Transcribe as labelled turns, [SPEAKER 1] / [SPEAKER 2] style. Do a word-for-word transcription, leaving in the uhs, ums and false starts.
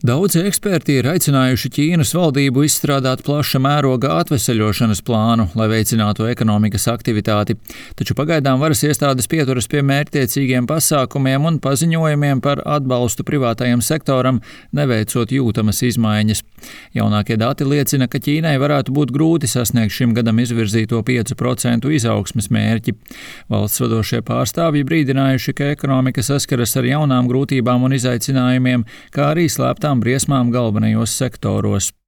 [SPEAKER 1] Daudzi eksperti ir aicinājuši Ķīnas valdību izstrādāt plaša mēroga atveseļošanas plānu, lai veicinātu ekonomikas aktivitāti, taču pagaidām varas iestādes pieturas pie mērķtiecīgiem pasākumiem un paziņojumiem par atbalstu privātajam sektoram, neveicot jūtamas izmaiņas. Jaunākie dati liecina, ka Ķīnai varētu būt grūti sasniegt šim gadam izvirzīto piecu procentu izaugsmes mērķi. Valsts vadošie pārstāvji brīdinājuši, ka ekonomika saskaras ar jaunām grūtībām un izaicinājumiem, kā arī slēptām briesmām galvenajos sektoros.